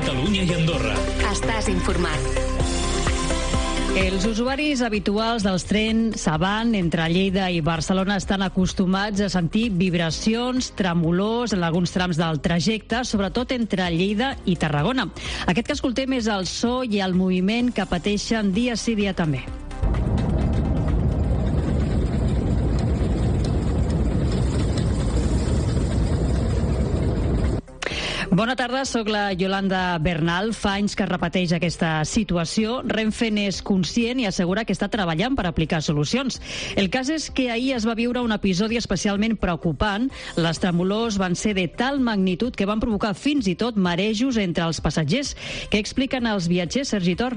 Catalunya i Andorra. Estàs informat. Els usuaris habituals dels trens avant entre Lleida i Barcelona estan acostumats a sentir vibracions, tremolors en alguns trams del trajecte, sobretot entre Lleida i Tarragona. Aquest que escoltem és el so i el moviment que pateixen dia sí dia també. Bona tarda, sóc la Yolanda Bernal. Fa anys que es repeteix aquesta situació. Renfe n'és conscient i assegura que està treballant per aplicar solucions. El cas és que ahir es va viure un episodi especialment preocupant. Les tremolors van ser de tal magnitud que van provocar fins i tot marejos entre els passatgers. Què expliquen els viatgers, Sergi Tor?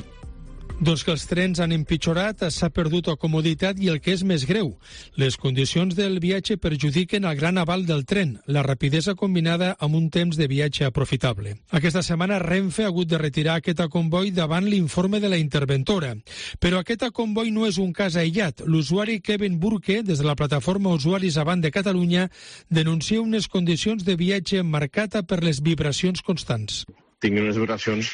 Doncs que els trens han empitjorat, s'ha perdut la comoditat i el que és més greu, les condicions del viatge perjudiquen el gran aval del tren, la rapidesa combinada amb un temps de viatge aprofitable. Aquesta setmana Renfe ha hagut de retirar aquest comboi davant l'informe de la interventora. Però aquest comboi no és un cas aïllat. L'usuari Kevin Burke, des de la plataforma Usuaris Avant de Catalunya, denuncia unes condicions de viatge marcada per les vibracions constants. Tinc unes vibracions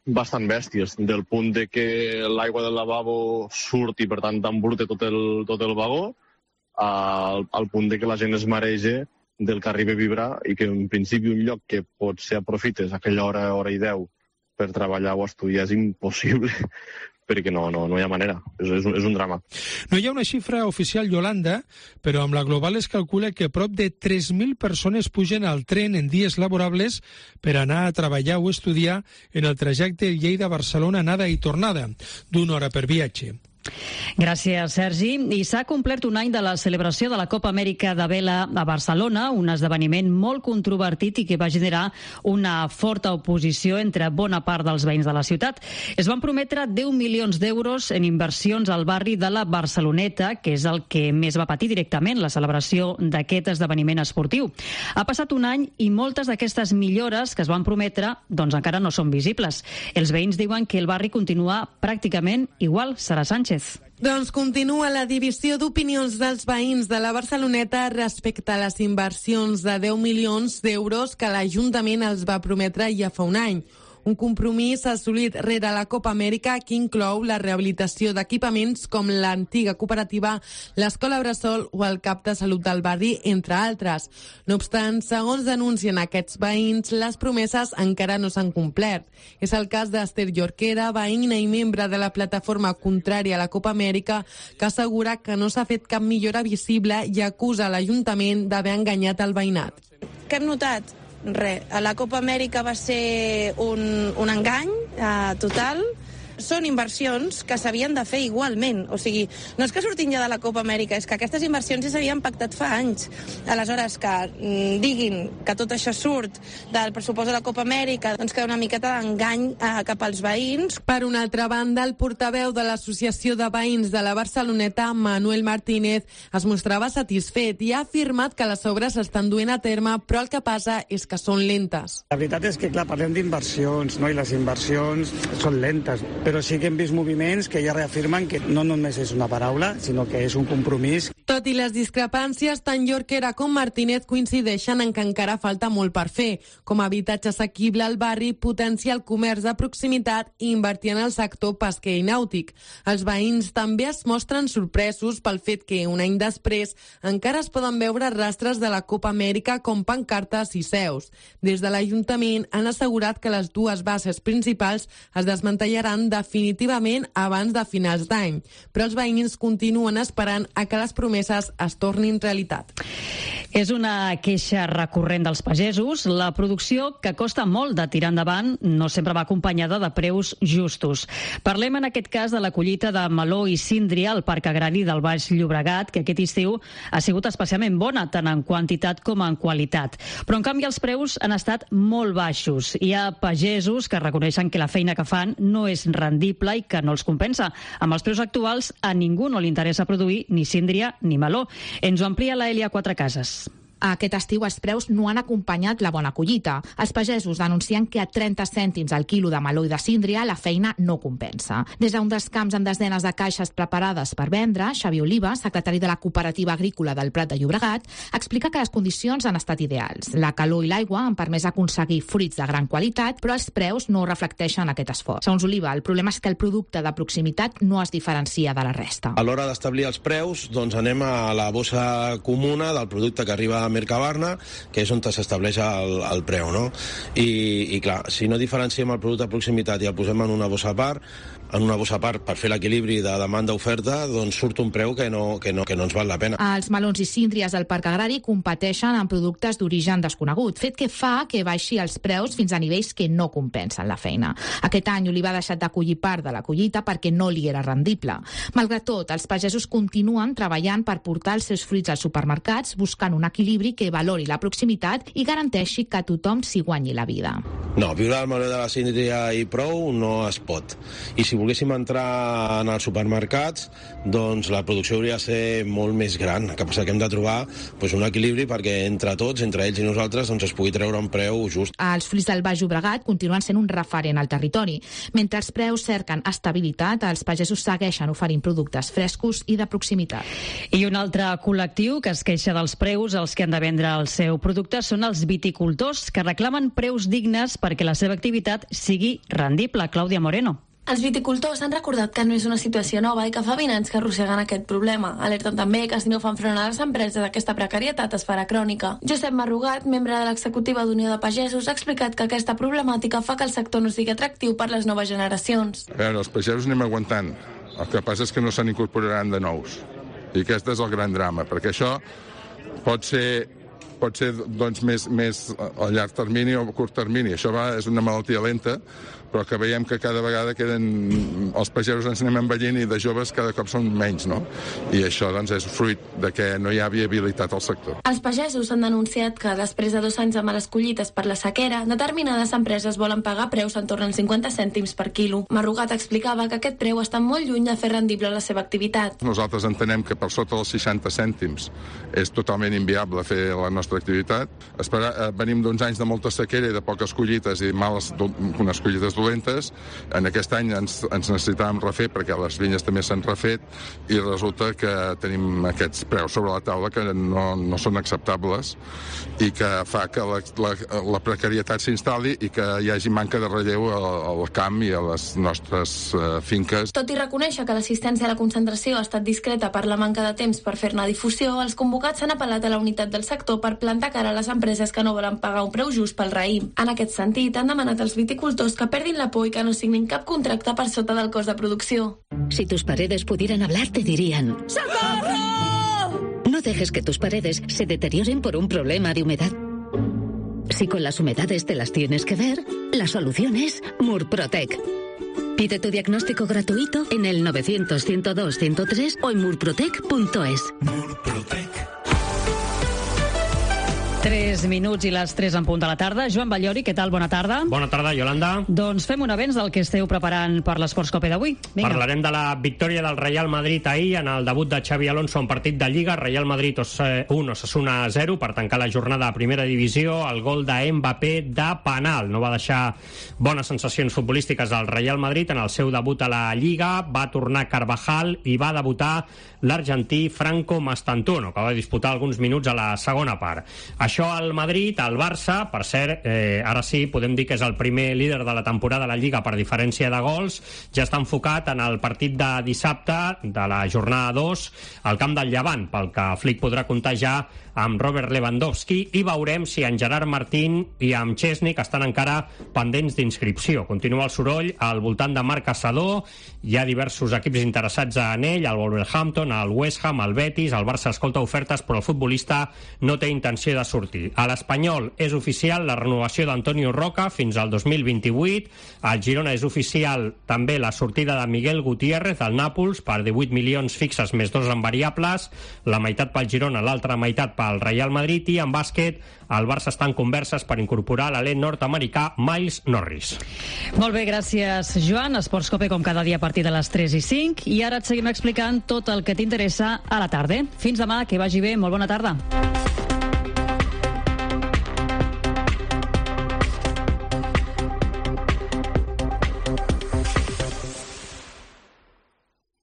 bastant bèsties, del punt de que l'aigua del lavabo surt i per tant t'embruta tot el vagó, al punt de que la gent es mareja del que arriba a vibrar i que en principi un lloc que potser aprofites a aquella hora i 10 per treballar o estudiar és impossible, perquè no hi ha manera, és un drama. No hi ha una xifra oficial, Yolanda, però amb la global es calcula que prop de 3.000 persones pugen al tren en dies laborables per anar a treballar o estudiar en el trajecte Lleida-Barcelona anada i tornada, d'una hora per viatge. Gràcies, Sergi. I s'ha complert un any de la celebració de la Copa Amèrica de Vela a Barcelona, un esdeveniment molt controvertit i que va generar una forta oposició entre bona part dels veïns de la ciutat. Es van prometre 10 milions d'euros en inversions al barri de la Barceloneta, que és el que més va patir directament la celebració d'aquest esdeveniment esportiu. Ha passat un any i moltes d'aquestes millores que es van prometre doncs encara no són visibles. Els veïns diuen que el barri continua pràcticament igual. Sara Sánchez. Doncs continua la divisió d'opinions dels veïns de la Barceloneta respecte a les inversions de 10 milions d'euros que l'Ajuntament els va prometre ja fa un any. Un compromís assolit rere la Copa Amèrica que inclou la rehabilitació d'equipaments com l'antiga cooperativa, l'escola Bressol o el cap de salut del barri, entre altres. No obstant, segons denuncien aquests veïns, les promeses encara no s'han complert. És el cas d'Ester Jorquera, veïna i membre de la plataforma contrària a la Copa Amèrica, que assegura que no s'ha fet cap millora visible i acusa l'Ajuntament d'haver enganyat el veïnat. Què hem notat? Res, la Copa Amèrica va ser un engany total. Són inversions que s'havien de fer igualment. O sigui, no és que surtin ja de la Copa Amèrica, és que aquestes inversions ja s'havien pactat fa anys. Aleshores, que diguin que tot això surt del pressupost de la Copa Amèrica, doncs que una miqueta d'engany cap als veïns. Per una altra banda, el portaveu de l'Associació de Veïns de la Barceloneta, Manuel Martínez, es mostrava satisfet i ha afirmat que les obres s'estan duent a terme, però el que passa és que són lentes. La veritat és que, clar, parlem d'inversions, no? I les inversions són lentes, però sí que hem vist moviments que ja reafirmen que no només és una paraula, sinó que és un compromís. Tot i les discrepàncies, tant Jorquera com Martínez coincideixen en que encara falta molt per fer, com habitatge assequible al barri, potenciar el comerç de proximitat i invertir en el sector pesquer i nàutic. Els veïns també es mostren sorpresos pel fet que, un any després, encara es poden veure rastres de la Copa Amèrica com pancartes i seus. Des de l'Ajuntament han assegurat que les dues bases principals es desmantellaran definitivament abans de finals d'any, però els veïns continuen esperant a que les promeses es tornin realitat. És una queixa recurrent dels pagesos. La producció, que costa molt de tirar endavant, no sempre va acompanyada de preus justos. Parlem en aquest cas de la collita de meló i síndria al Parc Agrari del Baix Llobregat, que aquest estiu ha sigut especialment bona, tant en quantitat com en qualitat. Però, en canvi, els preus han estat molt baixos. Hi ha pagesos que reconeixen que la feina que fan no és rendible i que no els compensa. Amb els preus actuals, a ningú no li interessa produir ni síndria ni meló. Ens ho amplia la Elia Quatrecases. Aquest estiu els preus no han acompanyat la bona collita. Els pagesos denuncien que a 30 cèntims al quilo de meló i de síndria la feina no compensa. Des d'un dels camps amb desenes de caixes preparades per vendre, Xavi Oliva, secretari de la Cooperativa Agrícola del Prat de Llobregat, explica que les condicions han estat ideals. La calor i l'aigua han permès aconseguir fruits de gran qualitat, però els preus no reflecteixen aquest esforç. Segons Oliva, el problema és que el producte de proximitat no es diferencia de la resta. A l'hora d'establir els preus, doncs anem a la bossa comuna del producte que arriba a Mercabarna, que és on s'estableix el preu, no? I clar, si no diferenciem el producte de proximitat i el posem en una bossa a part per fer l'equilibri de demanda-oferta, doncs surt un preu que no ens val la pena. Els melons i síndries del Parc Agrari competeixen en productes d'origen desconegut, fet que fa que baixi els preus fins a nivells que no compensen la feina. Aquest any Oliva ha deixat d'acollir part de la collita perquè no li era rendible. Malgrat tot, els pagesos continuen treballant per portar els seus fruits als supermercats, buscant un equilibri que valori la proximitat i garanteixi que tothom s'hi guanyi la vida. No, viure del meló de la síndria i prou no es pot. I si volguéssim entrar en els supermercats, doncs la producció hauria de ser molt més gran. El que passa que hem de trobar un equilibri perquè entre tots, entre ells i nosaltres, doncs es pugui treure un preu just. Els fruits del Baix Llobregat continuen sent un referent al territori. Mentre els preus cerquen estabilitat, els pagesos segueixen oferint productes frescos i de proximitat. I un altre col·lectiu que es queixa dels preus als que han de vendre el seu producte són els viticultors, que reclamen preus dignes perquè la seva activitat sigui rendible. Clàudia Moreno. Els viticultors han recordat que no és una situació nova i que fa 20 anys que arrosseguen aquest problema. Alerten també que si no fan front a les empreses, aquesta precarietat es farà crònica. Josep Marrugat, membre de l'executiva d'Unió de Pagesos, ha explicat que aquesta problemàtica fa que el sector no sigui atractiu per les noves generacions. A veure, els pagesos anem aguantant. El que passa és que no se n'incorporaran de nous. I aquest és el gran drama, perquè això pot ser doncs, més a llarg termini o a curt termini. Això és una malaltia lenta, però que veiem que cada vegada els pagesos ens anem envellint i de joves cada cop són menys, no? I això doncs, és fruit de que no hi ha viabilitat al sector. Els pagesos han denunciat que després de 2 anys de males collites per la sequera, determinades empreses volen pagar preus en torn als 50 cèntims per quilo. Marrugat explicava que aquest preu està molt lluny de fer rendible la seva activitat. Nosaltres entenem que per sota dels 60 cèntims és totalment inviable fer la nostra activitat. Venim d'uns anys de molta sequera i de poques collites i unes collites dolentes. En aquest any ens necessitàvem refer perquè les vinyes també s'han refet i resulta que tenim aquests preus sobre la taula que no són acceptables i que fa que la precarietat s'instal·li i que hi hagi manca de relleu al camp i a les nostres finques. Tot i reconèixer que l'assistència a la concentració ha estat discreta per la manca de temps per fer-ne difusió, els convocats s'han apel·lat a la unitat del sector per plantar cara a les empreses que no volen pagar un preu just pel raïm. En aquest sentit, han demanat als viticultors que perdin la por y que no signen cap contracte per sota del cost de producció. Si tus paredes pudieran hablar, te dirían: ¡Socorro! No dejes que tus paredes se deterioren por un problema de humedad. Si con las humedades te las tienes que ver, la solución es Murprotec. Pide tu diagnóstico gratuito en el 900-102-103 o en murprotec.es. Murprotec. 3 minuts i les 3 en punt de la tarda. Joan Ballori, què tal? Bona tarda. Bona tarda, Yolanda. Doncs fem un avenç del que esteu preparant per l'Esports Cope d'avui. Vinga. Parlarem de la victòria del Real Madrid ahir en el debut de Xavi Alonso en partit de Lliga. Real Madrid 1, Osasuna 0 per tancar la jornada a primera divisió. El gol de Mbappé de penal. No va deixar bones sensacions futbolístiques al Real Madrid en el seu debut a la Lliga. Va tornar Carvajal i va debutar l'argentí Franco Mastantuono, que va disputar alguns minuts a la segona part. Això al Madrid, al Barça, per cert, ara sí, podem dir que és el primer líder de la temporada a la Lliga per diferència de gols, ja està enfocat en el partit de dissabte de la jornada 2 al camp del Llevant, pel que Flick podrà comptar ja amb Robert Lewandowski i veurem si en Gerard Martín i amb Chesney, que estan encara pendents d'inscripció. Continua el soroll al voltant de Marc Caçador, hi ha diversos equips interessats en ell, el Wolverhampton, el West Ham, el Betis, el Barça escolta ofertes, però el futbolista no té intenció de sortir. A l'Espanyol és oficial la renovació d'Antonio Roca fins al 2028, al Girona és oficial també la sortida de Miguel Gutiérrez al Nàpols per 18 milions fixes més 2 en variables, la meitat pel Girona, l'altra meitat pel Real Madrid, i en bàsquet el Barça està en converses per incorporar l'alè nord-americà Miles Norris. Molt bé, gràcies, Joan. Esports Cope com cada dia a partir de les 3 i 5 i ara et seguim explicant tot el que t'interessa a la tarda. Fins demà, que vagi bé, molt bona tarda.